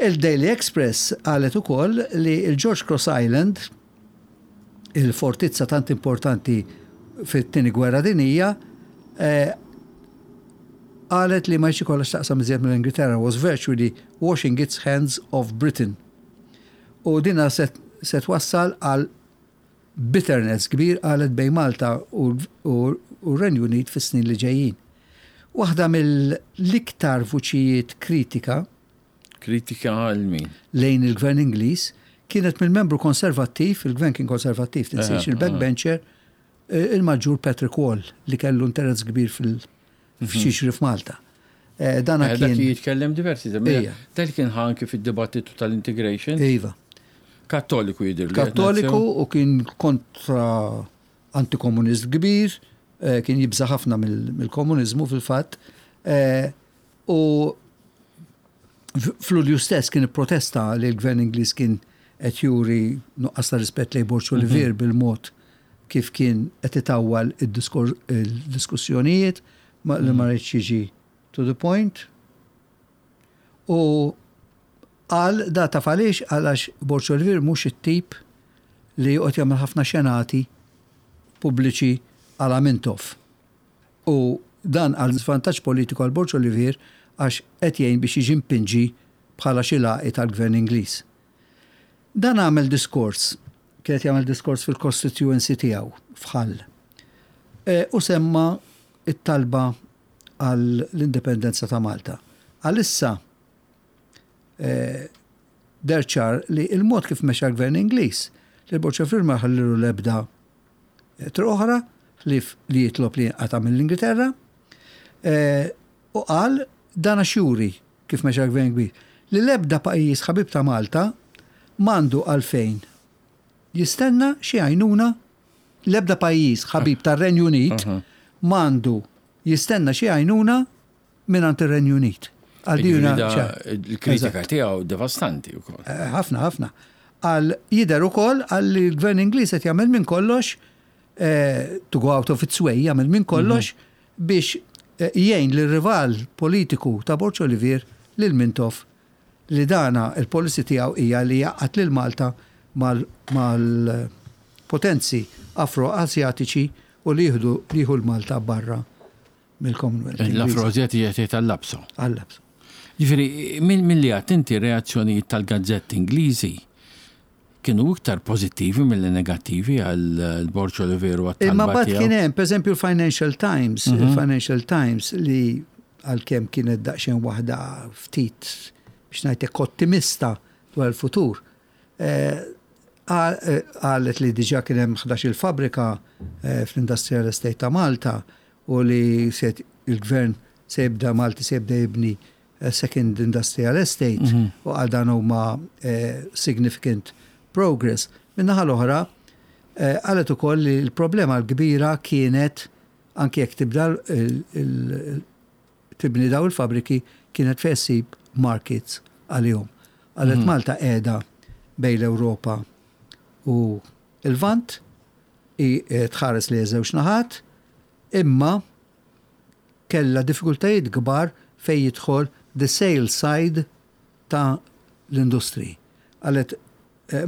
Il-Daily Express qalet ukoll li l-George Cross Island, il-fortizza tant importanti fit-Tieni Gwerra Dinjija, eh, qalet li ma jridx ikollha x'taqsam iżjed mill-Ingilterra was virtually washing its hands of Britain. U dina se twassal għal bitterness kbir qalet bejn Malta u r-Renju Unit fis-snin li ġejjin. Waħda mill-iktar vuċijiet kritika Kritika għal min? Lejn il-Gvern Ingliż kienet mill-membru konservattiv, il-Gvern kien konservattiv, tinsiex, il-backbencher, eh, il-Maġġur Patrick Wall li kellu interess kbir fil-f'xiġri mhm. f'Malta. Eh, dana eh, kien jitkellem diversi, Dak kien ħanki fid-dibattitu tal-integration. Iva. Kattoliku jidir. Kattoliku u kien kontra antikomunist kbir, kien jibża ħafna mill-komuniżmu fil-fatt. U f'Lulju stess kien ipprotesta li l-Gvern Ingliż kien qed juri nuqqas ta' rispett lejn Borg Olivier mhm. bil-mod kif kien qed itawwal id-diskussjonijiet li ma mhm. rridx jiġi to the point. U qal da taf għaliex għalax Borg Olivier mhux it-tip li joqgħod jagħmel ħafna xenati pubbliċi għala Mintoff. U dan għal żvantaġġ politiku għal Borg Olivier għax qed jgħin biex jiġi mpinġi bħala xi lagħqi tal-Gvern Ingliż. Dan għamel diskors, kien qed jagħmel diskors fil-constituency tiegħu f'Hull u semma t-talba għall-indipendenza ta' Malta. Għalissa deher ċar li l-mod kif mexa l-Gvern Ingliż, lil Borg Olivier ma ħallilu l-ebda Triq oħra ħlief li jitlob li jinqata' mill-Ingilterra u qal Dan għax juri, kif mexa l-Gvern Kbir, li l-ebda pajjiż ħabib ta' Malta m'għandu għalfejn jistenna xi għajnuna, l-ebda pajjiż ħabib tar-Renju Unit m'għandu jistenna xi għajnuna mingħand ir-Renju Unit. Għal din il-kritika tiegħu devastanti wkoll. Eh, ħafna, ħafna. Għal jidher ukoll għal li l-Gvern Ingliż qed jagħmel minn kollox eh, to go out of its way, jagħmel minn kollox mhm. biex eh, jgħin lir rival politiku ta' Borg Olivier lil Mintoff li dana il-policy tiegħu hija li jgħaqqad lil Malta mal-potenzi Afro-Asjatiċi u li jieħdu jieħu l-Malta barra mill-Commonwealth. L-Afro-Asjatiċi qed jgħid għall-Lapso. Għall-Lapso. Ġifieri, milli għedt inti reazzjonijiet tal-gazzetti Ingliżi kienu iktar pożittivi milli negattivi għal Borg Olivier u għat-talba Imma mbagħad kien hemm, pereżempju l-Financial Times, mhm. il-Financial Times li għalkemm kienet daqsxejn waħda ftit biex ngħidlek ottimista dwar il-futur. Eh, eh, qalet li diġà kien hemm 11 il-fabrika eh, fl-Industrial Estate ta' Malta u li il-gvern se jibda Malti se jibda jibni second industrial estate mhm. u għal dan huma eh, significant progress. Min-naħa l-oħra, eh, qalet ukoll li l-problema l-kbira kienet anke jekk tibda tibni daw il-fabriki kienet fejn ssib markets għalihom. Qalet mhm. Malta qiegħda bejn l-Ewropa u il-Vant eh, tħares li żewġ naħat, imma kellha diffikultajiet kbar fejn jidħol the sales side ta' l-industriji. Qalet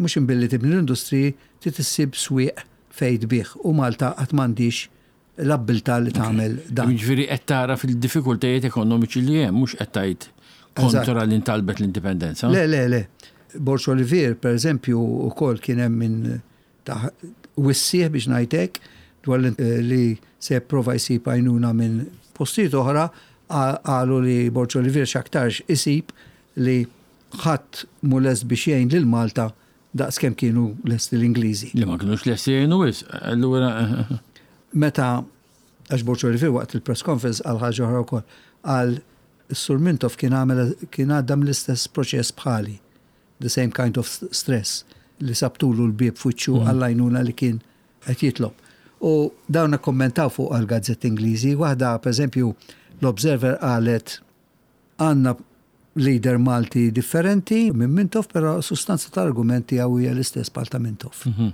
mhux imbilli tibni l-industriji trid issib swieq fejn tbigħ u Malta għad m'għandhiex l-abbiltà li tagħmel dan. Jiġifieri qed tagħraf il-diffikultajiet ekonomiċi li hemm mhux qed tgħid kontra li ntalbet l-indipendenza. Le, le, le. Borg Olivier, per eżempju, ukoll kien hemm min ta' wissieh biex ngħid hekk dwar li se jipprova jsib għajnuna minn postijiet oħra, qalu li Borg Olivier x'aktarx isib li ħadd mhu lest biex jgħin lil Malta daqs kemm kienu lesti l-Ingliżi. Li ma kinux lesti jgħinu wisq, allura. Meta, għax Borg Olivier waqt il-press conference qal ħaġa oħra wkoll, qal is-Sur Mintoff kien għamel kien għadda mill-istess proċess bħali. the same kind of stress li sabtulu l-bieb f'wiċċu mm. għall-għajnuna li kien qed jitlob. U dawn ikkommentaw fuq għal-gazzetti Ingliżi, waħda pereżempju l-Observer qalet għandna leader Malti differenti minn Mintoff, però sustanza tal-argument tiegħu hija l-istess bħal ta' Mintoff. Mhm.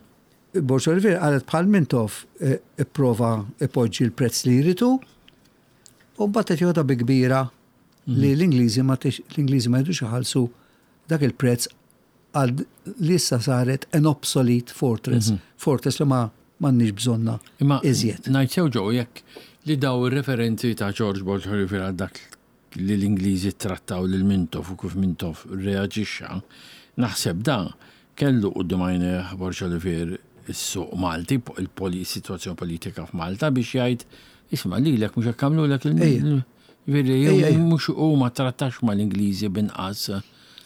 Borg Olivier qalet bħal Mintoff eh, ipprova ipoġġi l-prezz li jritu u mbagħad qed joħodha bi kbira li l-Ingliżi ma l-Ingliżi ma jridux iħallsu dak il-prezz għal li issa saret an obsolete fortress, mhm. fortress li ma m'għandniex bżonna Imma iżjed. Ngħid sew ġew jekk li daw ir-referenzi ta' George Borg għal dak li l-Ingliżi trattaw lil Mintoff u kif Mintoff reaġixxa, naħseb da kellu quddiem għajnejh Borg Olivier is-suq Malti, il-sitwazzjoni politika f'Malta biex jgħid isma' lilek mhux hekk għamlulek il Ġifieri mhux hu ma trattax mal-Ingliżi b'inqas.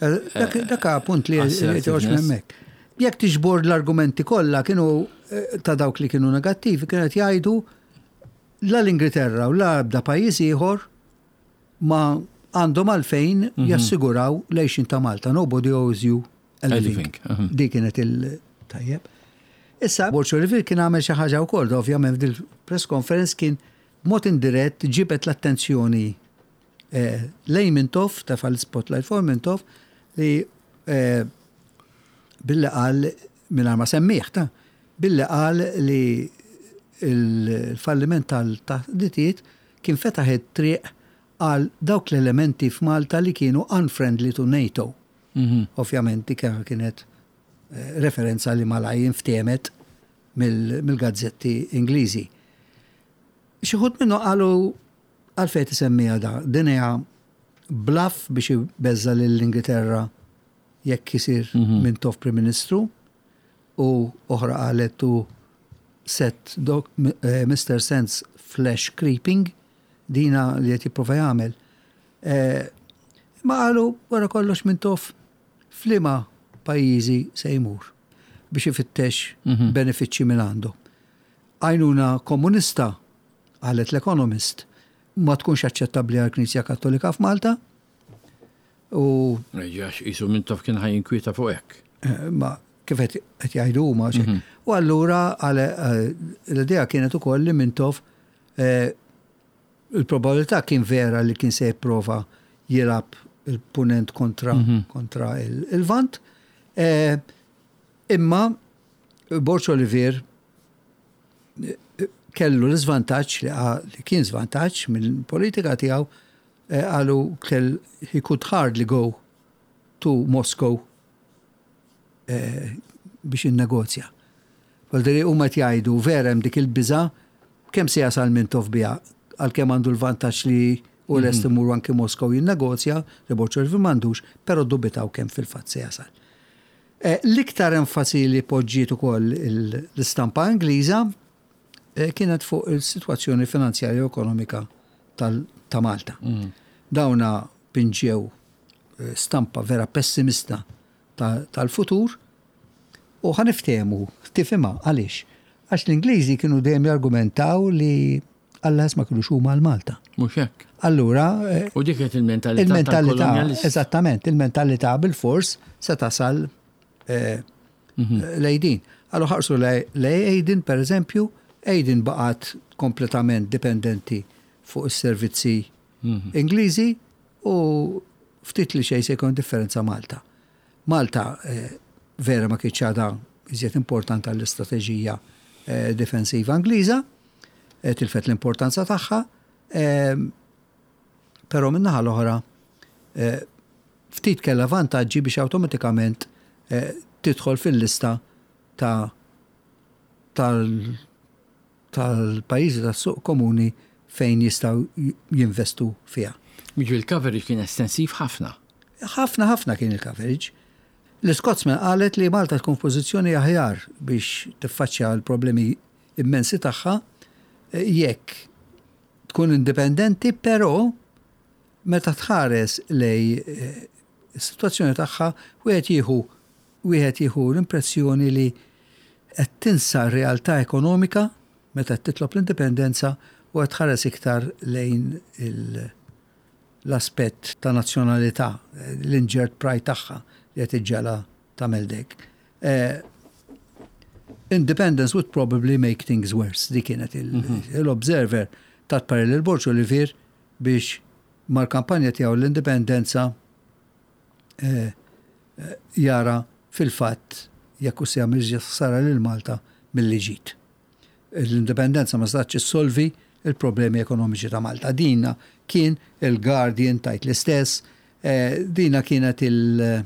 Eh, dak punt li toħroġ hemmhekk. Jekk tiġbor l-argumenti kollha kienu eh, ta' dawk li kienu negattivi kienu qed jgħidu la l-Ingilterra u la ebda pajjiż ieħor ma għandhom għalfejn mhm. jassiguraw l-għejxin ta' Malta. Nobody owes you a living. Mhm. Dik kienet il-tajjeb. Issa, Borg Olivier kien għamel xi ħaġa wkoll, ovvjament f'dil press conference kien B'mod indirett ġibed l-attenzjoni lejn Mintoff, tefa' l-spotlight fuq Mintoff li billi qal mingħajr ma semmih ta' billi qal li l-falliment tal-taħditiet kien fetaħ it-triq għal dawk l-elementi f'Malta li kienu unfriendly to NATO. Mhm. Ovvjament dik kienet referenza li malaj inftehmet mill-gazzetti Ingliżi. Xi wħud minnhom qalu għalfejn tisemmiha da, din hija bluff biex ibeżża' lill-Ingilterra jekk isir mhm. Mintoff Prim Ministru u oħra qalet to set Mr. Eh, Sands flesh creeping dina li qed jipprova jagħmel. Eh, ma qalu wara kollox Mintoff f'liema pajjiżi se jmur biex ifittex mhm. benefiċċji minn għandu. Għajnuna komunista, qalet l-Economist. ma tkunx aċċettabbli għall-Knisja Kattolika f'Malta. U Għax qisu Mintoff kien ħa jinkwieta fuq hekk. Eh, ma kif qed jgħidu huma. Mhm. U allura eh, l-idea kienet ukoll li Mintoff eh, il-probabilità kien vera li kien se jipprova jilgħab il-punent kontra, mhm. kontra il-Lvant. Imma Borg Olivier kellu l-iżvantaġġ li kien żvantaġġ mill-politika tiegħu eh, qalu kell he could hardly go to Moscow eh, biex innegozja. Voldiri huma qed jgħidu vera hemm dik il-biża' kemm se jasal Mintoff biha għalkemm għandu l-vantaġġ li u lest mhm. imur anki Moskow jinnegozja li Borg Olivier m'għandux, però dubitaw kemm fil-fatt se jasal. Eh, l-iktar enfasi li poġġiet ukoll l-istampa Ingliża eh, kienet fuq il-sitwazzjoni finanzjarja u ekonomika ta' Malta. Mm. Dawna pinġew eh, stampa vera pessimista tal-futur u ħa niftehmu, tifhimha għaliex. Għax l-Ingliżi kienu dejjem jargumentaw li Alla ma kinux huma għal Malta. Mhux hekk. Allura. Eh, u dik kienet il-mentalità. Il-mentalità, eżattament, il-mentalità bil-fors se tasal eh, mhm. lejn din. Allura ħarsu lej Aden, per eżempju, Aden baqgħet kompletament dipendenti fuq is-servizzi mhm. Ingliżi u ftit li xejn se jkun differenza Malta. Malta eh, vera ma kienx għadha iżjed importanti għall-istrateġija difensiva Ingliża, Eh, tilfet l-importanza tagħha, ehm, però min-naħa l-oħra eh, ftit kellha vantaġġi biex awtomatikament eh, tidħol fil-lista ta' tal-pajjiżi tas-suq komuni fejn jistgħu jinvestu fiha. Jiġifieri il-coverage kien estensiv ħafna. Ħafna ħafna kien il-coverage. L-Scotsman qalet li Malta tkun f'pożizzjoni aħjar biex tiffaċċja l-problemi immensi tagħha jekk tkun indipendenti, però meta tħares lej eh, is-sitwazzjoni tagħha wieħed jieħu wieħed jieħu l-impressjoni li qed tinsa r-realtà ekonomika meta qed titlob l-indipendenza u qed tħares iktar lejn l-aspett ta' nazzjonalità, l-injured pride tagħha li qed iġġegħla tagħmel dek. Eh, independence would probably make things worse. Dik kienet mhm. l-Observer tat parir lil Borg Olivier biex mal-kampanja tiegħu l-indipendenza eh, eh, jara fil-fatt jekk se jagħmel ħsara lil Malta milli ġid. L-indipendenza ma setgħetx issolvi il-problemi ekonomiċi ta' Malta. Dina kien il-Guardian tajt l-istess, dina kienet il-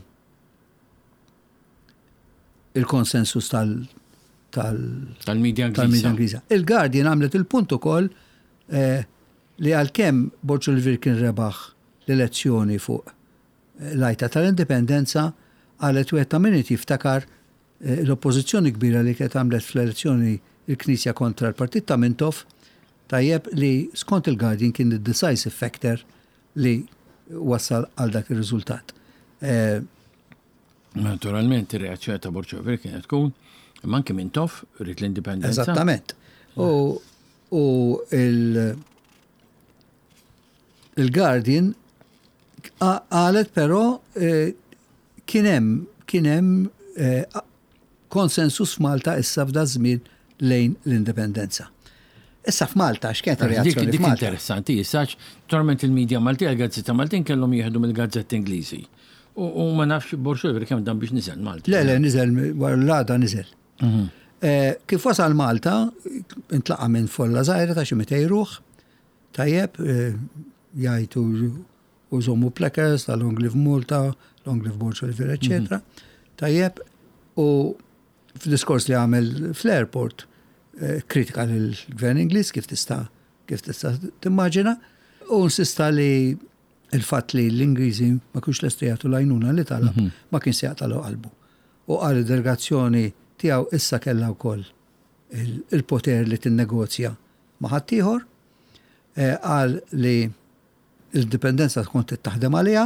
il-konsensus tal tal-media Ingliża. Il-Guardian għamlet il-punt ukoll eh, li għalkemm Borg Olivier kien rebaħ l-elezzjoni fuq eh, l-għajta tal-indipendenza, qalet wieħed ta' min jiftakar eh, l-oppożizzjoni kbira li kienet għamlet fl-elezzjoni il-Knisja kontra l-Partit ta' Mintoff, tajjeb li skont il-Guardian kien il-decisive factor li wassal għal dak ir-riżultat. Eh, Naturalment, ir-reazzjoni ta' Borg Olivier kienet tkun, imma anke Mintoff ried l-indipendenza. Eżattament. U, u il- il-Guardian qalet però eh, kien hemm kien hemm eh, konsensus f'Malta issa f'da żmien lejn l-indipendenza. Issa f'Malta x'kienet ir-reazzjoni Dik interessanti, issa naturalment il-medja Maltija, il-gazzetta Maltin kellhom jieħdu mill-gazzetti Ingliżi. U ma nafx Borg Olivier kemm dan biex niżel Malta. Le, le, niżel, wara l-għada niżel. Mhm. Eh, kif wasal Malta, intlaqa minn folla żgħira ta' xi 200 ruħ, tajjeb, eh, jgħajtu u żommu placards ta' Long Live Malta, Long Live Borg Olivier, eccetera. Mhm. Tajjeb, u f'diskors li għamel fl-airport, eh, kritika lill-gvern Ingliż kif tista' kif tista' timmaġina, u insista li il-fatt li l-Ingliżi ma kienx lesti jagħtu l-għajnuna li talab mhm. ma kien se jaqtalu qalbu. U qal id-delegazzjoni tiegħu issa kellha wkoll il-poter li tinnegozja ma' ħaddieħor, eh, qal li l-indipendenza tkun taħdem għaliha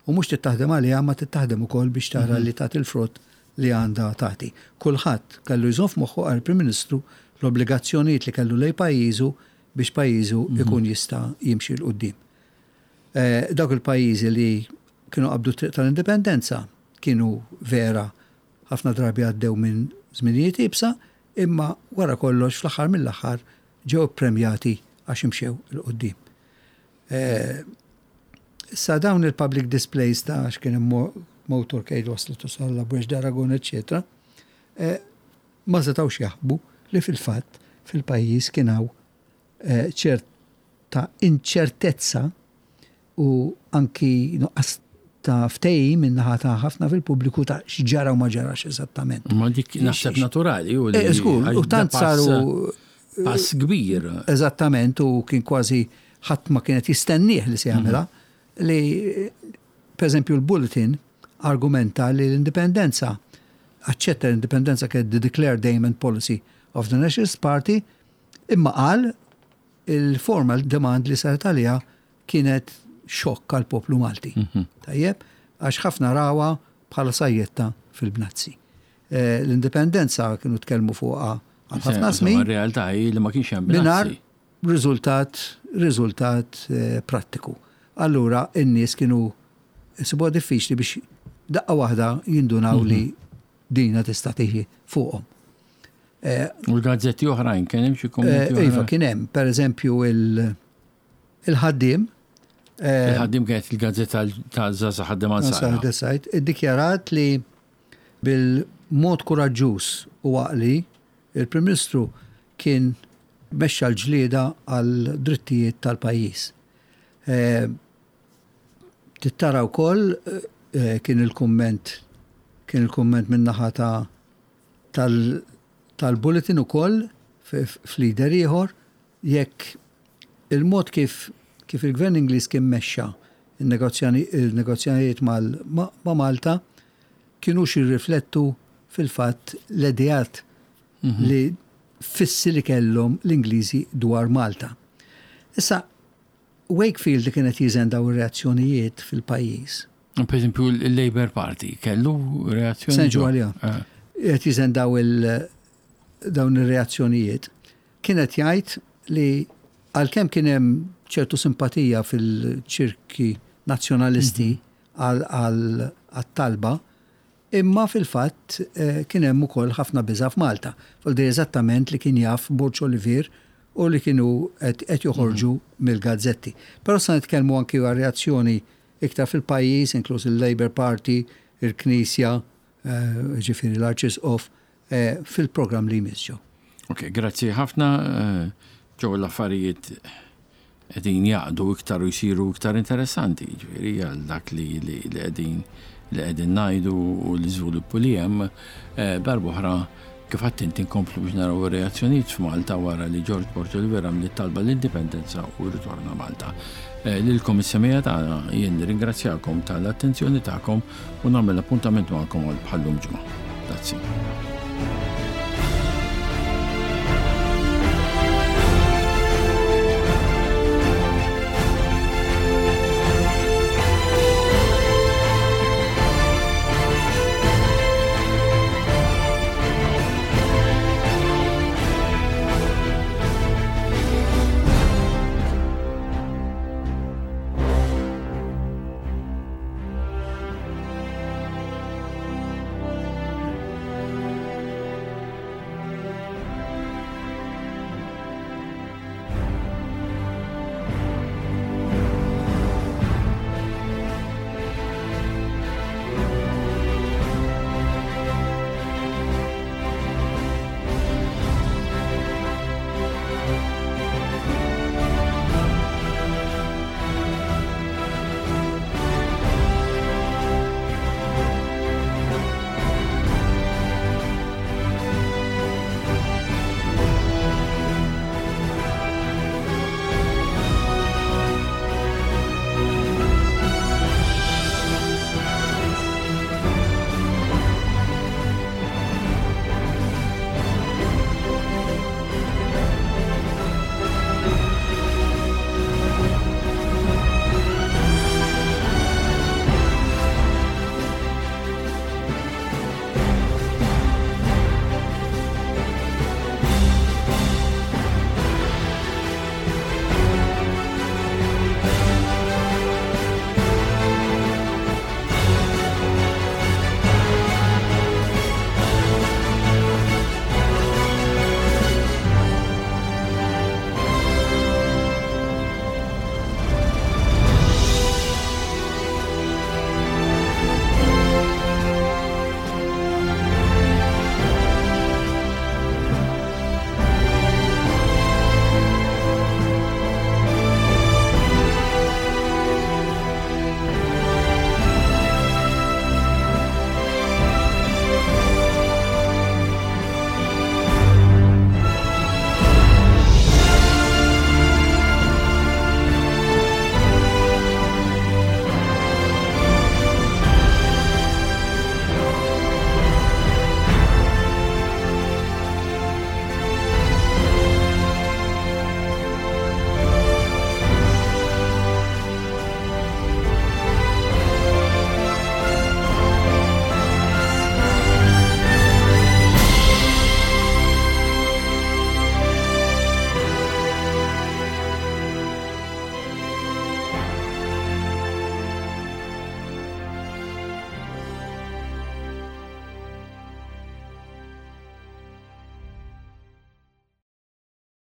u mhux taħdem għaliha ma taħdem ukoll biex tara mhm. li tagħti l-frott li għandha tagħti. Kulħadd kellu jżomm f'moħħu għal Prim Ministru l-obbligazzjonijiet li kellu lej pajjiżu. biex pajjiżu jkun jista' jimxi 'l quddiem. Dawk il-pajjiżi li kienu qabdu t-triq tal-indipendenza kienu vera ħafna drabi għaddew minn żminijiet iebsa, imma wara kollox fl-aħħar mill-aħħar ġew ippremjati għax imxew 'il quddiem. Issa dawn il-public displays ta' x'kien hemm motorcade waslet u sal Bwex d'Aragon, eċċetera, ma setgħux jaħbu li fil-fatt fil-pajjiż kien hawn ċerta inċertezza u anki nuqqas ta' ftehim min-naħa ta' ħafna fil-pubbliku ta' x'ġara u ma ġarax eżattament. Ma dik naħseb naturali u li. Żgur, u tant saru pass kbir. Eżattament, u kien kważi ħadd ma kienet jistennieh li se jagħmilha li pereżempju l-Bulletin argumenta li l-indipendenza aċċetta l-indipendenza kienet the declared aim and policy of the Nationalist Party imma qal il-formal demand li saret għaliha kienet xokk għal poplu Malti. Tajjeb, għax ħafna rawha bħala sajjetta fil-bnazzi. L-indipendenza kienu tkellmu fuqha għal ħafna snin. Realtà hi li ma kienx hemm bnazzi. Riżultat, riżultat prattiku. Allura n-nies kienu isibuha diffiċli biex daqqa waħda jindunaw li dina tista' tiġi fuqhom. U l-gazzetti oħrajn kien hemm xi kummenti? Iva, kien hemm, pereżempju il-ħaddiem. Il-ħaddiem kienet il-gazzetta ta' Zaza Ħaddiem Ansara. Sajt, iddikjarat li bil-mod kuraġġuż u għaqli il-Prim Ministru kien mexxa l-ġlieda għal drittijiet tal-pajjiż. Tittara wkoll kien il-kumment kien il-kumment min-naħa ta' tal-bulletin ukoll f'leader ieħor jekk il-mod kif kif il-Gvern Ingliż kien mexxa n-negozjanijiet ma' Malta kinux jirriflettu fil-fatt l-ideat li fissi li kellhom l-Ingliżi dwar Malta. Issa, Wakefield li kien qed jiżen dawn ir-reazzjonijiet fil-pajjiż. Per eżempju, il-Labour Party kellu reazzjoni. Se niġu għaliha. Qed jiżen daw il dawn ir-reazzjonijiet. Kien qed jgħid li għalkemm kien hemm ċertu simpatija fil-ċirki nazzjonalisti għal-talba, imma fil-fatt kien hemm ukoll ħafna biża' f'Malta. Vuol eżattament li kien jaf Borg Olivier u li kienu qed joħorġu mill-gazzetti. Però sa nitkellmu anki għal reazzjoni iktar fil-pajjiż, inkluż il-Labour Party, il-Knisja, ġifieri l-Arċisqof, fil-programm li jmiss ġew. Ok, grazzi ħafna. Ġew l-affarijiet qegħdin jaqdu iktar u jsiru iktar interessanti, ġifieri għal dak li li qegħdin li qegħdin ngħidu u l-iżviluppu li hemm. Darb'oħra kif għedt inti nkomplu biex naraw ir-reazzjonijiet f'Malta wara li George Borg Olivier għamel talba l-indipendenza u rritorna Malta. Lilkom is-semija tagħna jien nirringrazzjakom tal-attenzjoni tagħkom u nagħmel appuntament magħkom għal bħallum ġimgħa. Grazzi.